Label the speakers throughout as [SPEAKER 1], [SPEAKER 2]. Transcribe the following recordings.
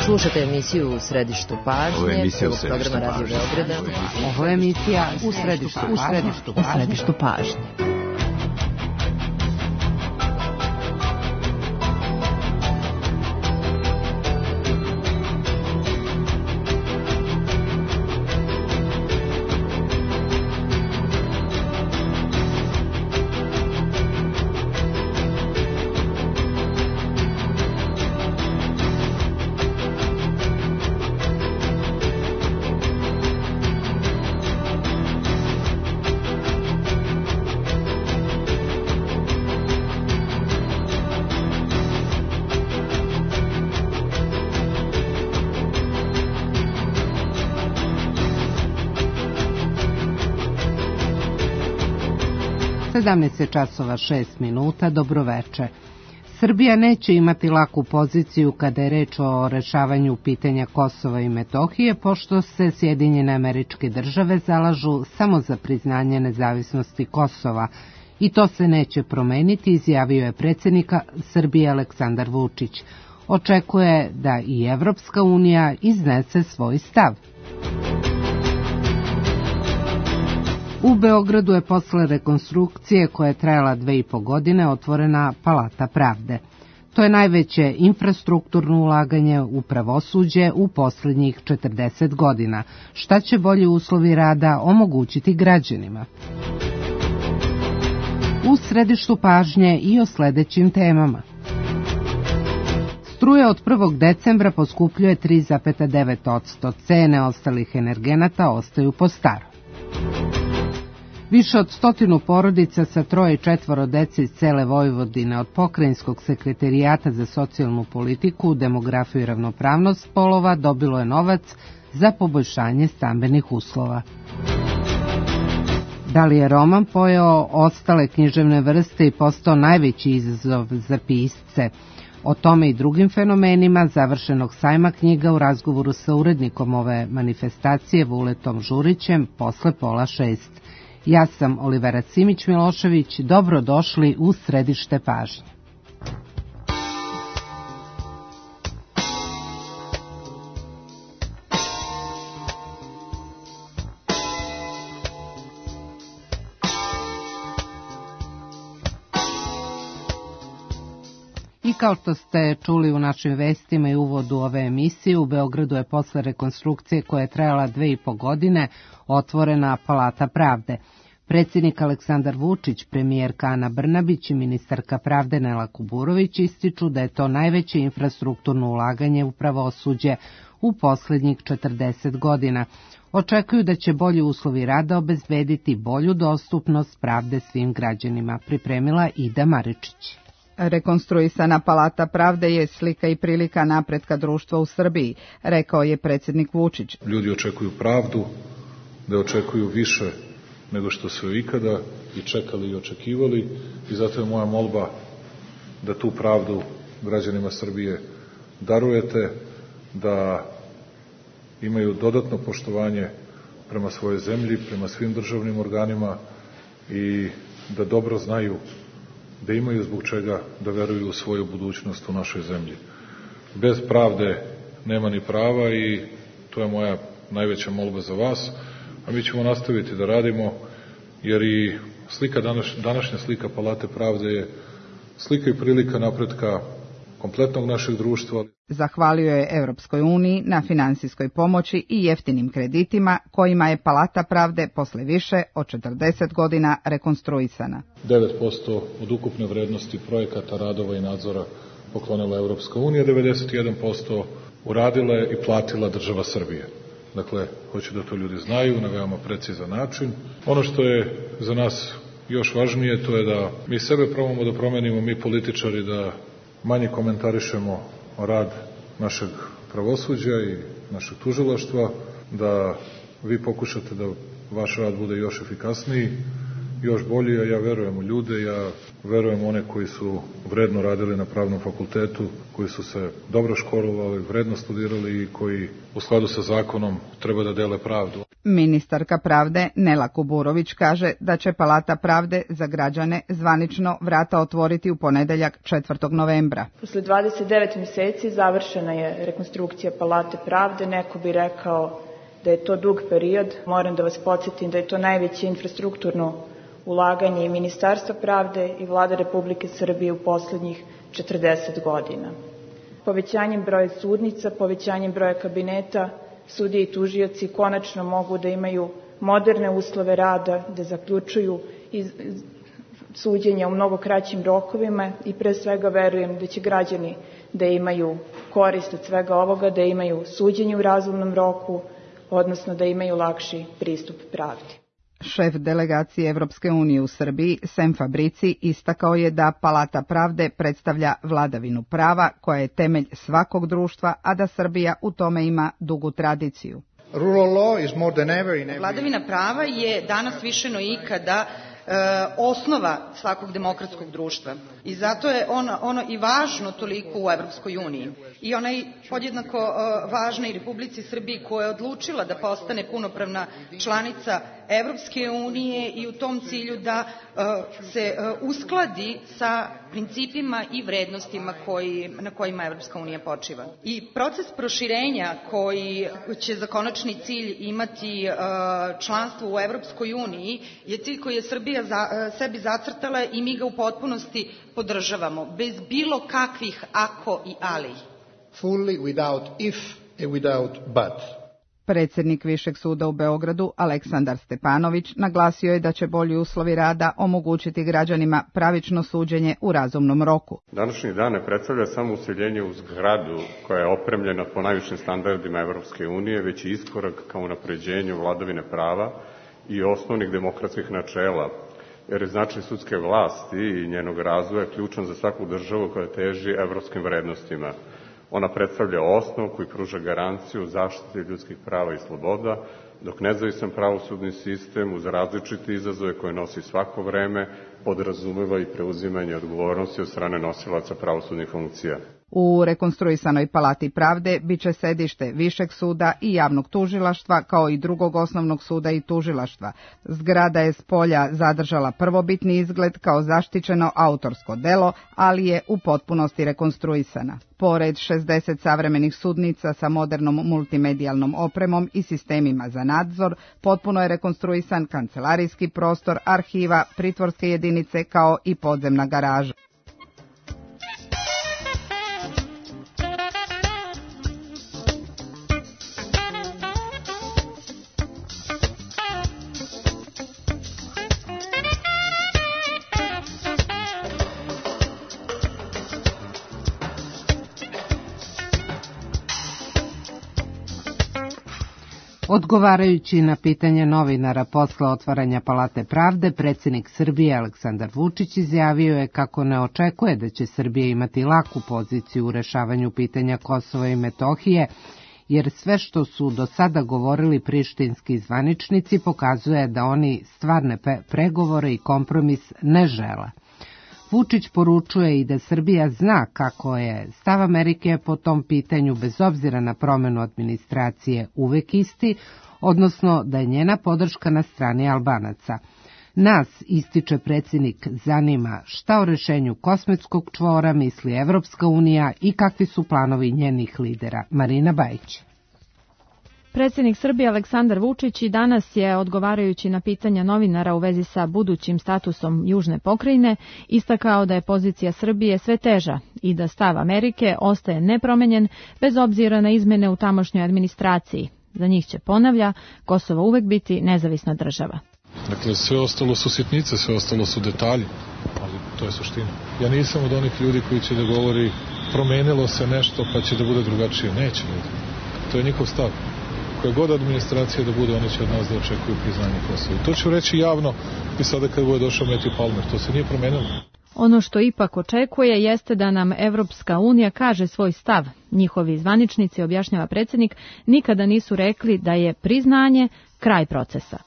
[SPEAKER 1] Slušate emisiju U središtu pažnje, prvog programa Radio Beograda.
[SPEAKER 2] Ovo je emisija U središtu pažnje. Časova 6 minuta, dobroveče. Srbija neće imati laku poziciju kada je reč o rešavanju pitanja Kosova i Metohije, pošto se Sjedinjene Američke Države zalažu samo za priznanje nezavisnosti Kosova. I to se neće promeniti, izjavio je predsjednik Srbije Aleksandar Vučić. Očekuje da i Evropska unija iznese svoj stav. U Beogradu je posle rekonstrukcije koja je trajala 2,5 godine otvorena Palata pravde. To je najveće infrastrukturno ulaganje u pravosuđe u poslednjih 40 godina. Šta će bolji uslovi rada omogućiti građanima? U središtu pažnje i o sledećim temama. Struja od 1. decembra poskupljuje 3,9%, cene ostalih energenata ostaju po starom. Više od 100 porodica sa 3 i 4 dece iz cele Vojvodine od Pokrajinskog sekretarijata za socijalnu politiku, demografiju i ravnopravnost polova dobilo je novac za poboljšanje stambenih uslova. Da li je roman pojeo ostale književne vrste i postao najveći izazov za pisce? O tome i drugim fenomenima završenog sajma knjiga u razgovoru sa urednikom ove manifestacije Vuletom Žurićem posle 5:30. Ja sam Olivera Simić-Milošević, dobrodošli u središte pažnje. I kao što ste čuli u našim vestima i uvodu ove emisije, u Beogradu je posle rekonstrukcije koja je trajala 2,5 godine otvorena Palata pravde. Predsjednik Aleksandar Vučić, premijerka Ana Brnabić i ministarka pravde Nela Kuburović ističu da je to najveće infrastrukturno ulaganje u pravosuđe u poslednjih 40 godina. Očekuju da će bolji uslovi rada obezbediti bolju dostupnost pravde svim građanima, pripremila Ida Maričić.
[SPEAKER 3] Rekonstruisana Palata pravde je slika i prilika napretka društva u Srbiji, rekao je predsjednik Vučić.
[SPEAKER 4] Ljudi očekuju pravdu, da očekuju više nego što su ikada i čekali i očekivali, i zato je moja molba da tu pravdu građanima Srbije darujete, da imaju dodatno poštovanje prema svojoj zemlji, prema svim državnim organima i da dobro znaju da imaju zbog čega da veruju u svoju budućnost u našoj zemlji. Bez pravde nema ni prava i to je moja najveća molba za vas, a mi ćemo nastaviti da radimo, jer i današnja slika Palate pravde je slika i prilika napretka kompletnog našeg društva.
[SPEAKER 3] Zahvalio je Evropskoj uniji na finansijskoj pomoći i jeftinim kreditima kojima je Palata pravde posle više od 40 godina rekonstruisana.
[SPEAKER 4] 9% od ukupne vrednosti projekata, radova i nadzora poklonila Evropska unija, 91% uradila je i platila država Srbije. Dakle, hoću da to ljudi znaju na veoma precizan način. Ono što je za nas još važnije, to je da mi sebe probamo da promenimo, mi političari, da manje komentarišemo rad našeg pravosuđa i našeg tužilaštva, da vi pokušate da vaš rad bude još efikasniji, još bolji, a ja verujem u ljude, ja verujem u one koji su vredno radili na pravnom fakultetu, koji su se dobro školovali, vredno studirali i koji u skladu sa zakonom treba da dele pravdu.
[SPEAKER 3] Ministarka pravde Nela Kuburović kaže da će Palata pravde za građane zvanično vrata otvoriti u ponedeljak 4. novembra.
[SPEAKER 5] Posle 29 meseci završena je rekonstrukcija Palate pravde. Neko bi rekao da je to dug period. Moram da vas podsjetim da je to najveće infrastrukturno ulaganje i Ministarstva pravde i Vlade Republike Srbije u poslednjih 40 godina. Povećanjem broja sudnica, povećanjem broja kabineta, sudije i tužioci konačno mogu da imaju moderne uslove rada, da zaključuju suđenja u mnogo kraćim rokovima i pre svega verujem da će građani da imaju korist od svega ovoga, da imaju suđenje u razumnom roku, odnosno da imaju lakši pristup pravdi.
[SPEAKER 3] Šef delegacije Evropske unije u Srbiji, Sem Fabrici, istakao je da Palata pravde predstavlja vladavinu prava koja je temelj svakog društva, a da Srbija u tome ima dugu tradiciju.
[SPEAKER 6] Vladavina prava je danas više no ikada osnova svakog demokratskog društva i zato je ono i važno toliko u Evropskoj uniji. I ona je podjednako važna i Republici Srbiji koja je odlučila da postane punopravna članica Evropske unije i u tom cilju da se uskladi sa principima i vrednostima na kojima Evropska unija počiva. I proces proširenja koji će za konačni cilj imati članstvo u Evropskoj uniji je cilj koji je Srbija sebi zacrtala i mi ga u potpunosti podržavamo, bez bilo kakvih ako i ali.
[SPEAKER 7] Fully, without if and without but.
[SPEAKER 3] Predsjednik Višeg suda u Beogradu, Aleksandar Stepanović, naglasio je da će bolji uslovi rada omogućiti građanima pravično suđenje u razumnom roku.
[SPEAKER 8] Današnji dan ne predstavlja samo useljenje u zgradu koja je opremljena po najvišim standardima Evropske unije, već i iskorak ka unapređenju vladavine prava i osnovnih demokratskih načela, jer je značaj sudske vlasti i njenog razvoja ključan za svaku državu koja teži evropskim vrednostima. Ona predstavlja osnov koji pruža garanciju zaštite ljudskih prava i sloboda, dok nezavisan pravosudni sistem uz različite izazove koje nosi svako vreme podrazumeva i preuzimanje odgovornosti od strane nosilaca pravosudnih funkcija.
[SPEAKER 3] U rekonstruisanoj Palati pravde biće sedište Višeg suda i javnog tužilaštva kao i drugog osnovnog suda i tužilaštva. Zgrada je s polja zadržala prvobitni izgled kao zaštićeno autorsko delo, ali je u potpunosti rekonstruisana. Pored 60 savremenih sudnica sa modernom multimedijalnom opremom i sistemima za nadzor, potpuno je rekonstruisan kancelarijski prostor, arhiva, pritvorske jedinice kao i podzemna garaža.
[SPEAKER 2] Odgovarajući na pitanje novinara posle otvaranja Palate pravde, predsjednik Srbije Aleksandar Vučić izjavio je kako ne očekuje da će Srbija imati laku poziciju u rešavanju pitanja Kosova i Metohije, jer sve što su do sada govorili prištinski zvaničnici pokazuje da oni stvarne pregovore i kompromis ne žele. Vučić poručuje i da Srbija zna kako je stav Amerike po tom pitanju bez obzira na promenu administracije uvek isti, odnosno da je njena podrška na strani Albanaca. Nas, ističe predsjednik, zanima šta o rešenju Kosmetskog čvora misli Evropska unija i kakvi su planovi njenih lidera. Marina Bajić.
[SPEAKER 9] Predsjednik Srbije Aleksandar Vučić i danas je, odgovarajući na pitanja novinara u vezi sa budućim statusom Južne pokrajine, istakao da je pozicija Srbije sve teža i da stav Amerike ostaje nepromenjen bez obzira na izmene u tamošnjoj administraciji. Za njih će, ponavlja, Kosovo uvek biti nezavisna država.
[SPEAKER 4] Dakle, sve ostalo su sitnice, sve ostalo su detalji, ali to je suština. Ja nisam od onih ljudi koji će da govori promenilo se nešto pa će da bude drugačije. Neće ljudi. To je njihov stav. Koja god administracija da bude, oni će od nas da očekuju priznanje Kosova. To ću reći javno i sada kad bude došao Matthew Palmer. To se nije promenilo.
[SPEAKER 9] Ono što ipak očekuje jeste da nam Evropska unija kaže svoj stav. Njihovi zvaničnici, objašnjava predsjednik, nikada nisu rekli da je priznanje kraj procesa.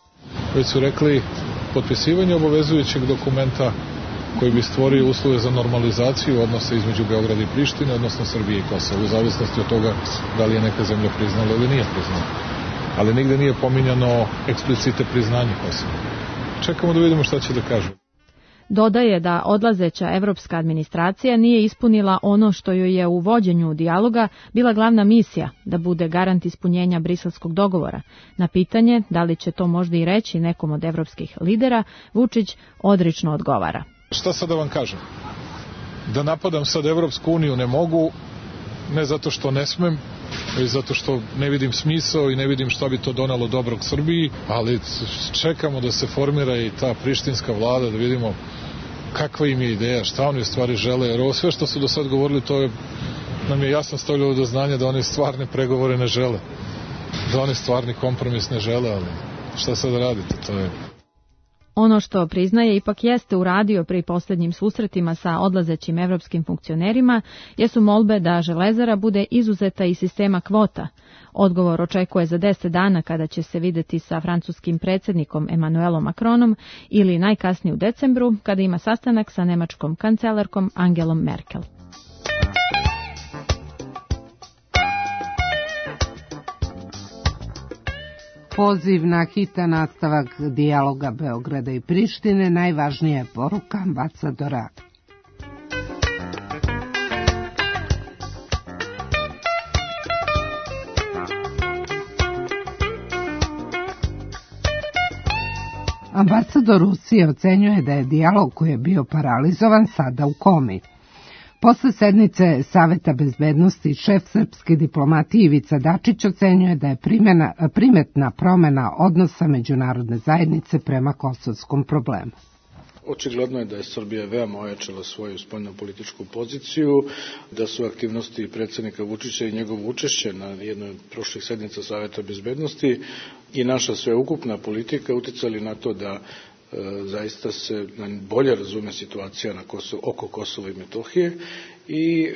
[SPEAKER 4] Već su rekli potpisivanje obavezujućeg dokumenta koji bi stvorio uslove za normalizaciju odnosa između Beograda i Prištine, odnosno Srbije i Kosova, u zavisnosti od toga da li je neka zemlja priznala ili nije priznala. ali nigde nije pominjano eksplicite priznanje Kosova. Čekamo da vidimo šta će da kažu.
[SPEAKER 9] Dodaje da odlazeća evropska administracija nije ispunila ono što joj je u vođenju dijaloga bila glavna misija, da bude garant ispunjenja briselskog dogovora. Na pitanje da li će to možda i reći nekom od evropskih lidera, Vučić odrično odgovara.
[SPEAKER 4] Šta sad da vam kažem? Da napadam sad Evropsku uniju ne mogu, ne zato što ne smem, već zato što ne vidim smisao i ne vidim šta bi to donalo dobrog Srbiji, ali čekamo da se formira i ta prištinska vlada, da vidimo kakva im je ideja, šta oni u stvari žele, jer ovo sve što su do sad govorili, to nam je jasno stavljalo do znanja da oni stvarne pregovore ne žele, da oni stvarni kompromis ne žele, ali šta sad radite, to je...
[SPEAKER 9] Ono što priznaje ipak jeste uradio pri posljednjim susretima sa odlazećim evropskim funkcionerima jesu molbe da Železara bude izuzeta iz sistema kvota. Odgovor očekuje za 10 dana kada će se videti sa francuskim predsjednikom Emmanuelom Macronom ili najkasnije u decembru kada ima sastanak sa nemačkom kancelarkom Angelom Merkel.
[SPEAKER 2] Poziv na hitan nastavak dijaloga Beograda i Prištine najvažnija je poruka ambasadora. Ambasador Rusije ocenjuje da je dijalog koji je bio paralizovan sada u komi. Posle sednice Saveta bezbednosti šef srpske diplomatije Ivica Dačić ocenjuje da je primetna promena odnosa međunarodne zajednice prema kosovskom problemu.
[SPEAKER 7] Očigledno je da je Srbija veoma ojačala svoju spoljnopolitičku poziciju, da su aktivnosti predsjednika Vučića i njegovo učešće na jednoj od prošlih sednica Saveta bezbednosti i naša sveukupna politika uticali na to da zaista se bolje razume situacija oko Kosova i Metohije i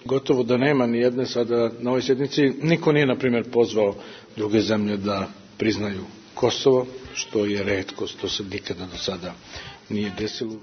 [SPEAKER 7] gotovo da nema ni jedne sada na ovoj sjednici, niko nije na primjer pozvao druge zemlje da priznaju Kosovo, što je retkost, to se nikada do sada nije desilo.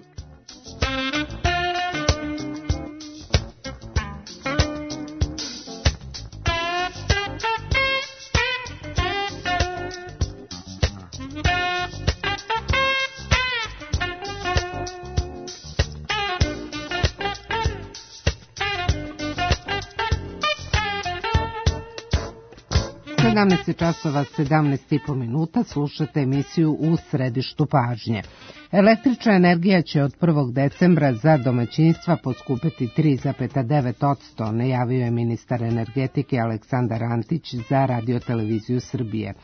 [SPEAKER 2] Časova 17,5 minuta slušate emisiju U središtu pažnje. Električna energija će od 1. decembra za domaćinstva poskupiti 3,9%, najavio je ministar energetike Aleksandar Antić za Radio-televiziju Srbije.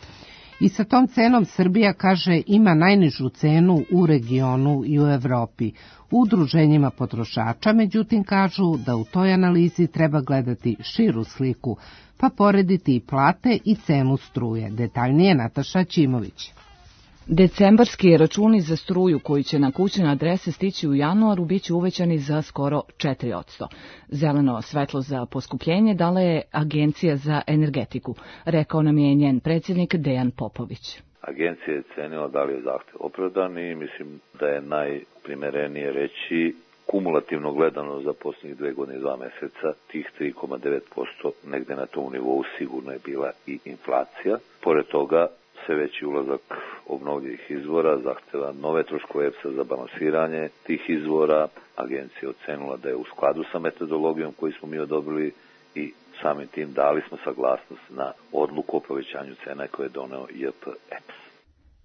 [SPEAKER 2] I sa tom cenom Srbija, kaže, ima najnižu cenu u regionu i u Evropi. U udruženjima potrošača, međutim, kažu da u toj analizi treba gledati širu sliku, pa porediti i plate i cenu struje. Detaljnije Nataša Ćimović.
[SPEAKER 10] Decembarski računi za struju koji će na kućne adrese stići u januaru biće uvećani za skoro 4%. Zeleno svetlo za poskupljenje dala je Agencija za energetiku, rekao nam je njen predsjednik Dejan Popović.
[SPEAKER 11] Agencija je cenila da li je zahtev opravdan i mislim da je najprimerenije reći kumulativno gledano za posljednjih 2 godine i 2 meseca, tih 3,9% negde na tom nivou sigurno je bila i inflacija. Pored toga, sve veći ulazak obnovljivih izvora zahteva nove troškove EPS-a za balansiranje tih izvora. Agencija je ocenila da je u skladu sa metodologijom koju smo mi odobrili i samim tim dali smo saglasnost na odluku o povećanju cena koje je doneo JP-EPS.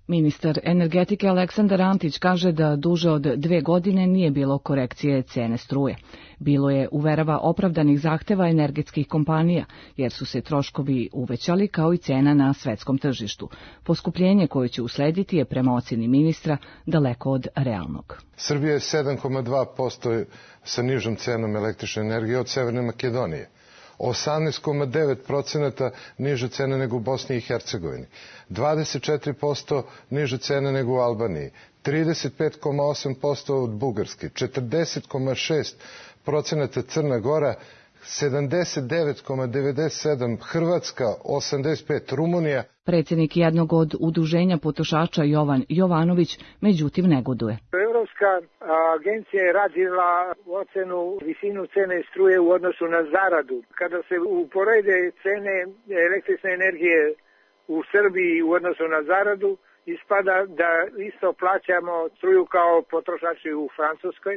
[SPEAKER 10] Ministar energetike Aleksandar Antić kaže da duže od 2 godine nije bilo korekcije cene struje. Bilo je, uverava, opravdanih zahteva energetskih kompanija, jer su se troškovi uvećali kao i cena na svetskom tržištu. Poskupljenje koje će uslediti je prema ocjeni ministra daleko od realnog.
[SPEAKER 12] Srbija je 7,2% sa nižom cenom električne energije od Severne Makedonije. 18,9% niže cene nego u Bosni i Hercegovini, 24% niže cene nego u Albaniji, 35,8% od Bugarske, 40,6% Crna Gora, 79,97% Hrvatska, 85% Rumunija.
[SPEAKER 10] Predsjednik jednog od udruženja potrošača Jovan Jovanović međutim negoduje.
[SPEAKER 13] Evropska agencija je radila ocenu visinu cene struje u odnosu na zaradu. Kada se uporede cene električne energije u Srbiji u odnosu na zaradu, ispada da isto plaćamo struju kao potrošači u Francuskoj.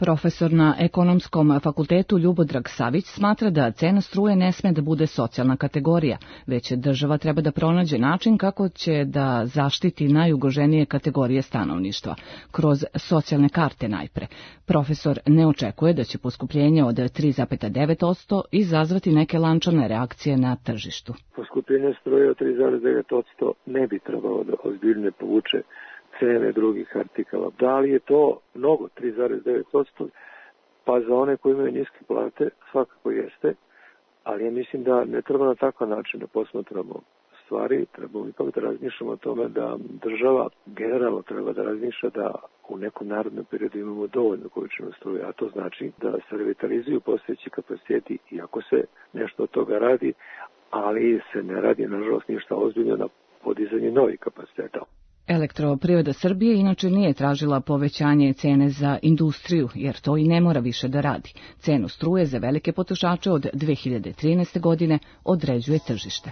[SPEAKER 10] Profesor na Ekonomskom fakultetu Ljubodrag Savić smatra da cena struje ne sme da bude socijalna kategorija, već država treba da pronađe način kako će da zaštiti najugroženije kategorije stanovništva, kroz socijalne karte najpre. Profesor ne očekuje da će poskupljenje od 3,9% izazvati neke lančane reakcije na tržištu.
[SPEAKER 14] Poskupljenje struje od 3,9% ne bi trebalo da ozbiljno povuče cene drugih artikala. Da li je to mnogo, 3,9%? Pa za one koji imaju niske plate svakako jeste, ali ja mislim da ne treba na takav način da posmatramo stvari, trebamo ipak da razmišljamo o tome da država generalno treba da razmišlja da u nekom narodnom periodu imamo dovoljno količinu struje, a to znači da se revitalizuju postojeći kapaciteti, iako se nešto od toga radi, ali se ne radi, nažalost, ništa ozbiljno na podizanje novih kapaciteta.
[SPEAKER 10] Elektroprivreda Srbije inače nije tražila povećanje cene za industriju, jer to i ne mora više da radi. Cenu struje za velike potrošače od 2013. godine određuje tržište.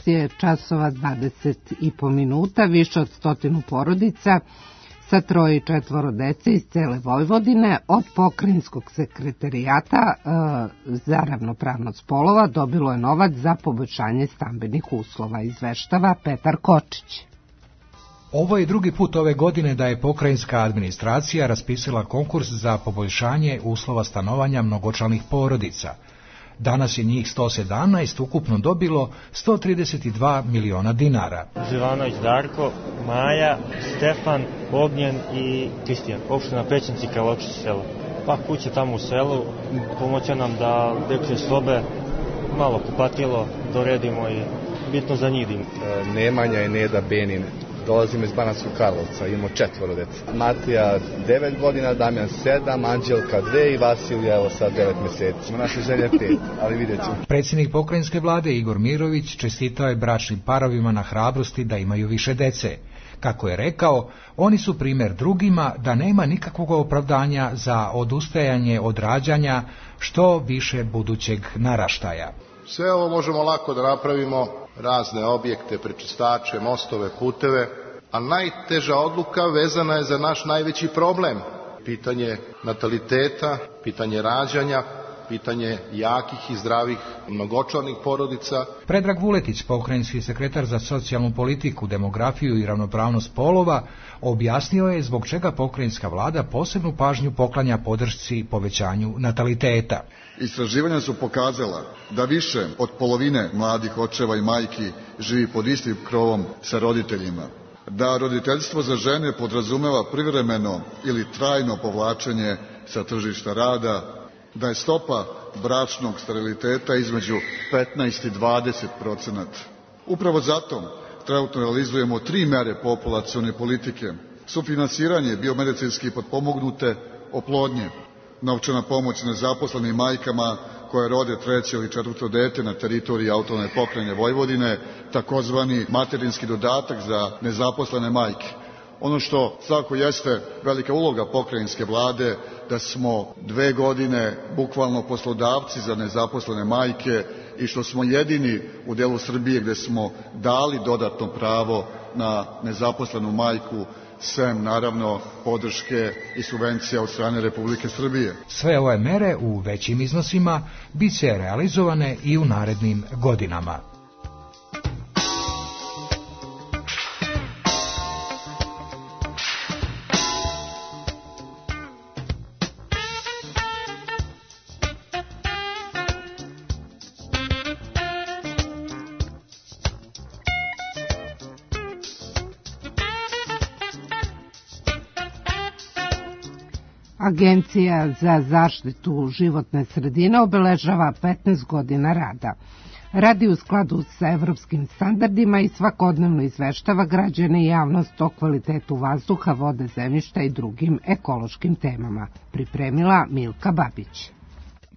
[SPEAKER 2] Je časova 20,5 minuta, više od 100 porodica sa 3 i 4 dece iz cele Vojvodine od pokrajinskog sekretarijata za ravnopravnost polova dobilo je novac za poboljšanje stambenih uslova, izveštava Petar Kočić.
[SPEAKER 15] Ovo je drugi put ove godine da je pokrajinska administracija raspisala konkurs za poboljšanje uslova stanovanja mnogočlanih porodica. Danas je njih 117 ukupno dobilo 132 miliona dinara.
[SPEAKER 16] Živanović Darko, Maja, Stefan, Ognjen i Kristijan. Opština Pećinci, Kaločić selo. Pa kuće tamo u selu, pomoće nam da dečje sobe, malo kupatilo, doredimo i bitno za njih.
[SPEAKER 17] Nemanja i Neda Benin. Dolazimo iz Banatskog Karlovca, imamo 4 dece. Matija 9 godina, Damjan 7, Anđelka 2 i Vasilija evo sad 9 meseci. Naša želja 5, ali vidjet ćemo.
[SPEAKER 15] Predsjednik pokrajinske vlade Igor Mirović čestitao je bračnim parovima na hrabrosti da imaju više dece. Kako je rekao, oni su primjer drugima da nema nikakvog opravdanja za odustajanje od rađanja što više budućeg naraštaja.
[SPEAKER 18] Sve ovo možemo lako da napravimo, razne objekte, prečistače, mostove, puteve, a najteža odluka vezana je za naš najveći problem. Pitanje nataliteta, pitanje rađanja, pitanje jakih i zdravih mnogočlanih porodica.
[SPEAKER 15] Predrag Vuletić, pokrajinski sekretar za socijalnu politiku, demografiju i ravnopravnost polova, objasnio je zbog čega pokrajinska vlada posebnu pažnju poklanja podršci povećanju nataliteta.
[SPEAKER 19] Istraživanja su pokazala da više od polovine mladih očeva i majki živi pod istim krovom sa roditeljima, da roditeljstvo za žene podrazumeva privremeno ili trajno povlačenje sa tržišta rada, da je stopa bračnog steriliteta između 15 i 20%. Upravo zato trenutno realizujemo 3 mere populacione politike: sufinansiranje biomedicinski potpomognute oplodnje, novčana pomoć nezaposlenim majkama koje rode 3. ili 4. dete na teritoriji autonomne pokrajine Vojvodine, takozvani materinski dodatak za nezaposlene majke. Ono što svako jeste velika uloga pokrajinske vlade, da smo 2 godine bukvalno poslodavci za nezaposlene majke i što smo jedini u delu Srbije gde smo dali dodatno pravo na nezaposlenu majku, sem naravno podrške i subvencija od strane Republike Srbije.
[SPEAKER 15] Sve ove mere u većim iznosima bit će realizovane i u narednim godinama.
[SPEAKER 2] Agencija za zaštitu životne sredine obeležava 15 godina rada. radi u skladu sa evropskim standardima i svakodnevno izveštava građane i javnost o kvalitetu vazduha, vode, zemljišta i drugim ekološkim temama. Pripremila Milka Babić.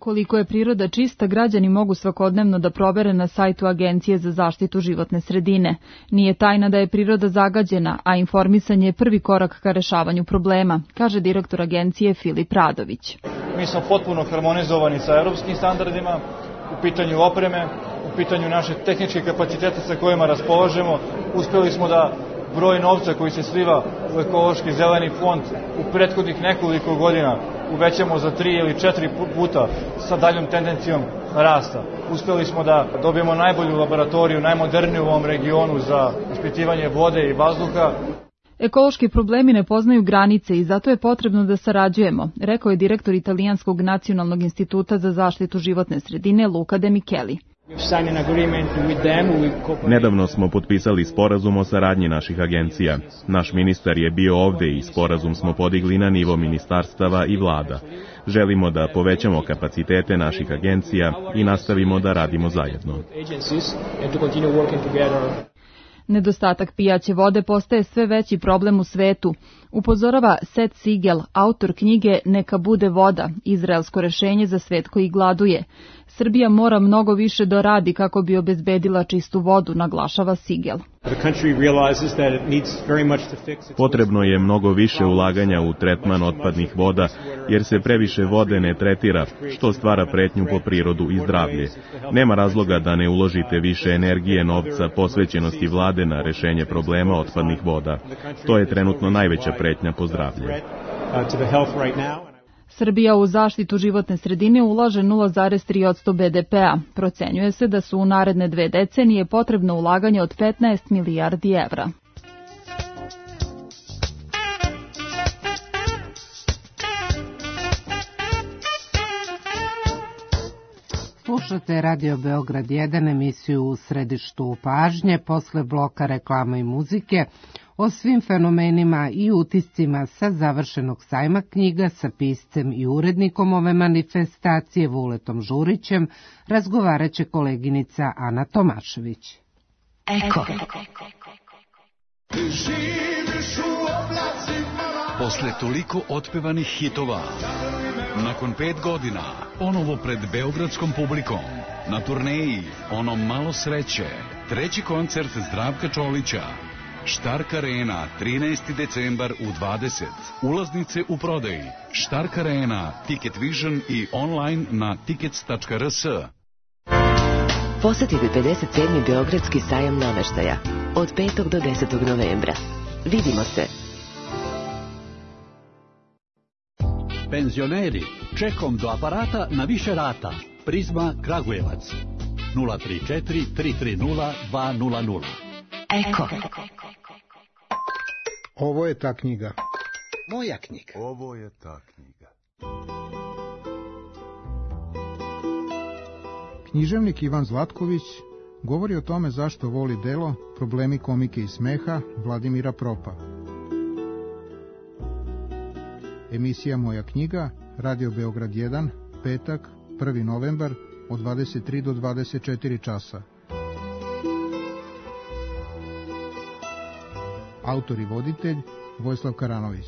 [SPEAKER 9] Koliko je priroda čista, građani mogu svakodnevno da provere na sajtu Agencije za zaštitu životne sredine. Nije tajna da je priroda zagađena, a informisanje je prvi korak ka rešavanju problema, kaže direktor agencije Filip Radović.
[SPEAKER 20] Mi smo potpuno harmonizovani sa evropskim standardima u pitanju opreme, u pitanju naše tehničke kapacitete sa kojima raspolažemo. Uspeli smo da broj novca koji se sliva u ekološki zeleni fond u prethodnih nekoliko godina uvećamo za 3 ili 4 puta sa daljom tendencijom rasta. Uspeli smo da dobijemo najbolju laboratoriju, najmoderniju u ovom regionu za ispitivanje vode i vazduha.
[SPEAKER 9] Ekološki problemi ne poznaju granice i zato je potrebno da sarađujemo, rekao je direktor Italijanskog nacionalnog instituta za zaštitu životne sredine Luca De Micheli.
[SPEAKER 21] Nedavno smo potpisali sporazum o saradnji naših agencija. Naš ministar je bio ovde i sporazum smo podigli na nivo ministarstava i vlada. Želimo da povećamo kapacitete naših agencija i nastavimo da radimo zajedno.
[SPEAKER 9] Nedostatak pijaće vode postaje sve veći problem u svetu, upozorava Seth Siegel, autor knjige Neka bude voda, izraelsko rešenje za svet koji gladuje. Srbija mora mnogo više da radi kako bi obezbedila čistu vodu, naglašava Siegel.
[SPEAKER 21] Potrebno je mnogo više ulaganja u tretman otpadnih voda, jer se previše vode ne tretira, što stvara pretnju po prirodu i zdravlje. Nema razloga da ne uložite više energije, novca, posvećenosti vlade na rešenje problema otpadnih voda. To je trenutno najveća pretnja po zdravlje.
[SPEAKER 9] Srbija u zaštitu životne sredine ulaže 0,3% BDP-a. Procenjuje se da su u naredne 2 decenije potrebno ulaganje od 15 milijardi evra.
[SPEAKER 2] Slušate Radio Beograd 1, emisiju U središtu pažnje, posle bloka reklama i muzike, o svim fenomenima i utiscima sa završenog sajma knjiga sa piscem i urednikom ove manifestacije Vuletom Žurićem razgovarat će koleginica Ana Tomašević.
[SPEAKER 22] Eko. Posle toliko otpevanih hitova, nakon 5 godina, ponovo pred beogradskom publikom, na turneji Ono malo sreće, 3. koncert Zdravka Čolića, Štark Arena, 13. decembar u 20. Ulaznice u prodaji. Štark Arena, Ticket Vision i online na tickets.rs.
[SPEAKER 23] Posetite 57. Beogradski sajam nameštaja od 5. do 10. novembra. Vidimo se.
[SPEAKER 24] Penzioneri, čekom do aparata na više rata. Prizma Kragujevac. 034 330 200.
[SPEAKER 23] Eko.
[SPEAKER 25] Ovo je ta knjiga.
[SPEAKER 24] Moja knjiga.
[SPEAKER 25] Ovo je ta knjiga. Književnik Ivan Zlatković govori o tome zašto voli delo Problemi komike i smeha Vladimira Propa. Emisija Moja knjiga, Radio Beograd 1, petak, 1. novembar, od 23 do 24 časa. Autor i voditelj Vojislav Karanović.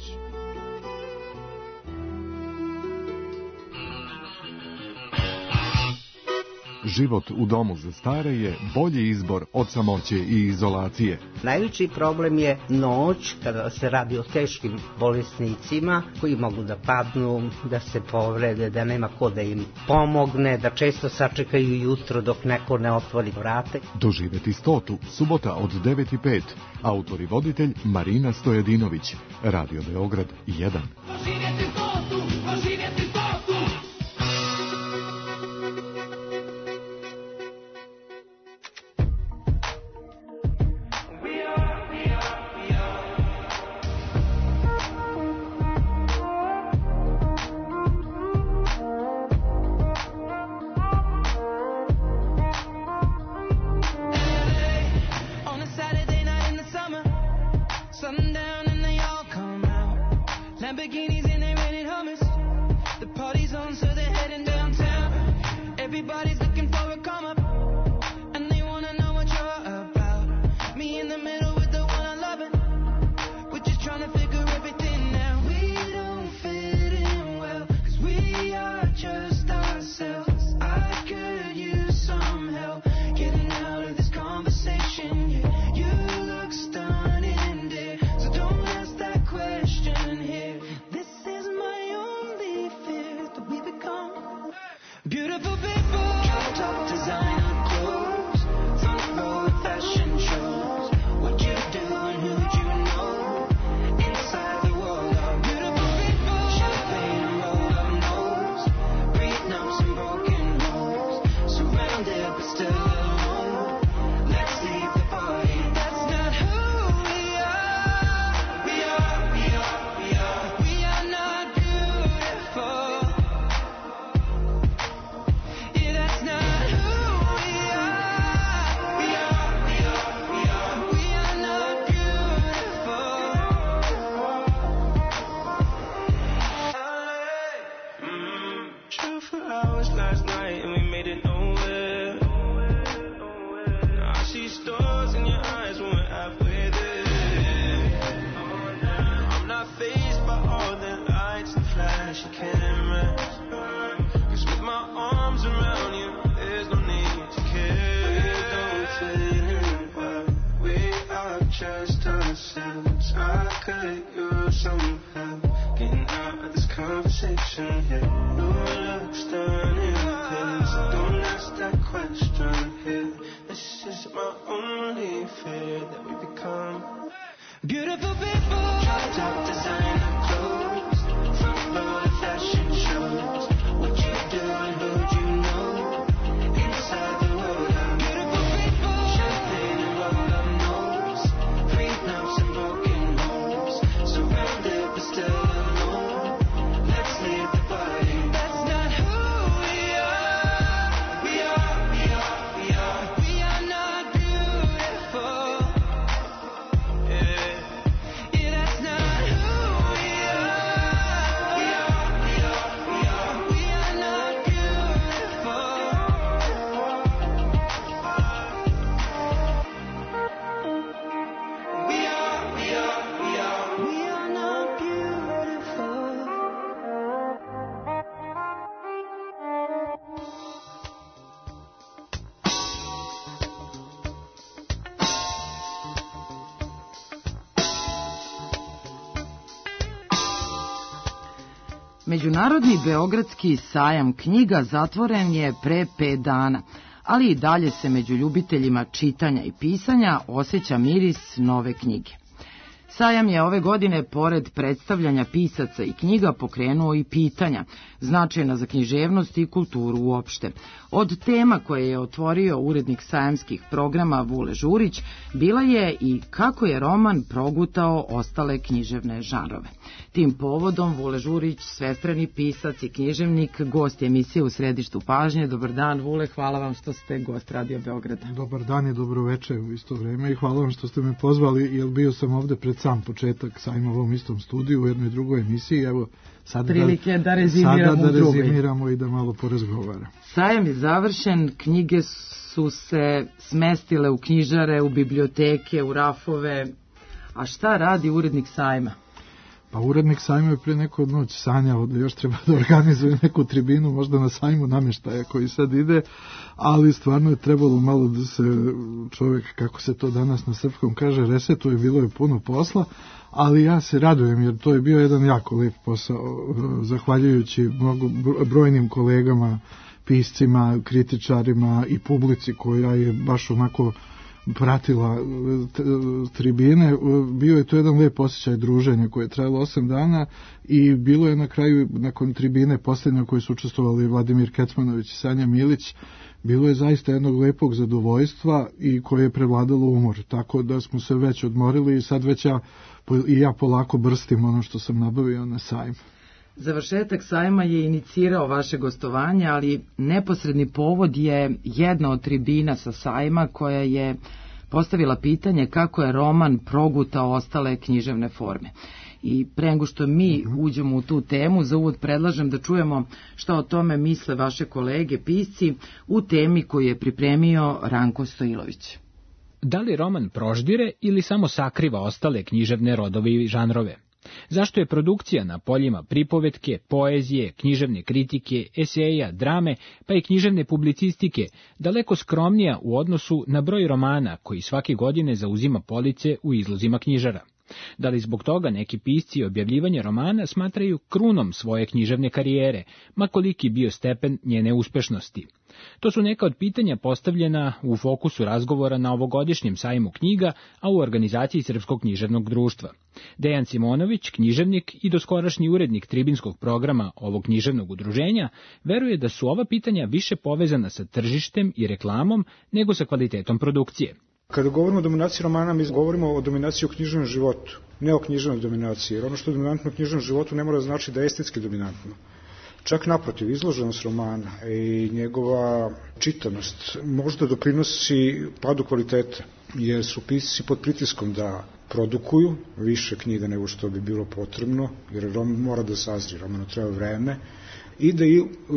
[SPEAKER 26] Život u domu za stare je bolji izbor od samoće i izolacije.
[SPEAKER 27] Najveći problem je noć, kada se radi o teškim bolesnicima koji mogu da padnu, da se povrede, da nema ko da im pomogne, da često sačekaju jutro dok neko ne otvori vrate.
[SPEAKER 26] Doživeti 100. subota od 9:05. Autor i voditelj Marina Stojadinović. Radio Beograd 1.
[SPEAKER 28] Doživjeti 100. Doživjeti 100. Lamborghinis and they rented Hummers. The party's on, so they're heading downtown. Everybody's looking for a come up. Beautiful people, top designer clothes, front row fashion shows. What you do and who'd you know? Inside the world of beautiful people, champagne and rolled up nose, prenups and broken homes, surrounded but still alone. Let's leave the party. That's not who we are. We are, we are, we are. We are not beautiful. Yeah, that's not who we are. We are, we are, we are. We are not beautiful. Drove for hours last night and we made it nowhere. Now I see stars in your eyes when we're halfway there. I'm not fazed by all the lights and flashy cameras. 'Cause with my arms around you, there's no need to care. We don't fit in well. We are just ourselves. I could use some help getting out of this conversation here. No looks done in place. Don't ask that question here. This is my only fear that we become beautiful people. Top designer clothes, front row fashion shows. What you do and who'd you know? Inside the world of beautiful people, champagne and rolled up nose, prenups and broken homes, surrounded but still alone. Let's leave the party. That's not who we are. We are, we are, we are. We are not beautiful. Yeah, yeah, that's not who we are. We are, we are, we are. We are not beautiful. We are, we are, we are. We are not beautiful.
[SPEAKER 2] Međunarodni beogradski sajam knjiga zatvoren je pre 5 dana, ali i dalje se među ljubiteljima čitanja i pisanja osjeća miris nove knjige. Sajam je ove godine, pored predstavljanja pisaca i knjiga, pokrenuo i pitanja, značajna za književnost i kulturu uopšte. Od tema koje je otvorio urednik sajamskih programa Vule Žurić, bila je i kako je roman progutao ostale književne žanrove. Tim povodom Vule Žurić, svestrani pisac i književnik, gost je emisije U središtu pažnje. Dobar dan, Vule, hvala vam što ste gost Radio Beograda.
[SPEAKER 1] Dobar dan i dobro večer u isto vreme i hvala vam što ste me pozvali, jer bio sam ovde pred sam početak sajma u ovom istom studiju u jednoj drugoj emisiji. Evo, sada
[SPEAKER 2] da rezimiramo
[SPEAKER 1] i da malo porazgovaramo.
[SPEAKER 2] Sajam je završen, knjige su se smestile u knjižare, u biblioteke, u rafove. A šta radi urednik sajma?
[SPEAKER 1] Pa urednik sajma je pre neku noć sanjao da još treba da organizuje neku tribinu, možda na sajmu namještaja koji sad ide, ali stvarno je trebalo malo da se čovjek, kako se to danas na srpskom kaže, resetuje, bilo je puno posla, ali ja se radujem jer to je bio jedan jako lep posao, zahvaljujući brojnim kolegama, piscima, kritičarima i publici koja je baš onako pratila tribine. Bio je to jedan lep osjećaj druženja koje je trajalo 8 dana i bilo je na kraju, nakon tribine posljednje koje su učestvovali Vladimir Kecmanović i Sanja Milić, bilo je zaista jednog lepog zadovoljstva i koje je prevladalo umor, tako da smo se već odmorili i sad već ja polako brstim ono što sam nabavio na sajmu.
[SPEAKER 2] Završetak sajma je inicirao vaše gostovanje, ali neposredni povod je jedna od tribina sa sajma koja je postavila pitanje kako je roman progutao ostale književne forme. I pre nego što mi uđemo u tu temu, za uvod predlažem da čujemo šta o tome misle vaše kolege pisci u temi koju je pripremio Ranko Stojilović.
[SPEAKER 3] Da li roman proždire ili samo sakriva ostale književne rodove i žanrove? Zašto je produkcija na poljima pripovetke, poezije, književne kritike, eseja, drame, pa i književne publicistike daleko skromnija u odnosu na broj romana koji svake godine zauzima police u izlozima knjižara? Da li zbog toga neki pisci objavljivanje romana smatraju krunom svoje književne karijere, ma koliki bio stepen njene uspešnosti? To su neka od pitanja postavljena u fokusu razgovora na ovogodišnjem sajmu knjiga, a u organizaciji Srpskog književnog društva. Dejan Simonović, književnik i doskorašnji urednik tribinskog programa ovog književnog udruženja, veruje da su ova pitanja više povezana sa tržištem i reklamom nego sa kvalitetom produkcije.
[SPEAKER 4] Kada govorimo o dominaciji romana, mi govorimo o dominaciji u književnom životu, ne o književnoj dominaciji, jer ono što je dominantno u književnom životu ne mora znači da je estetski dominantno. Čak naprotiv, izloženost romana i njegova čitanost možda doprinosi padu kvaliteta, jer su pisci pod pritiskom da produkuju više knjiga nego što bi bilo potrebno, jer roman mora da sazri, romanu treba vreme, i da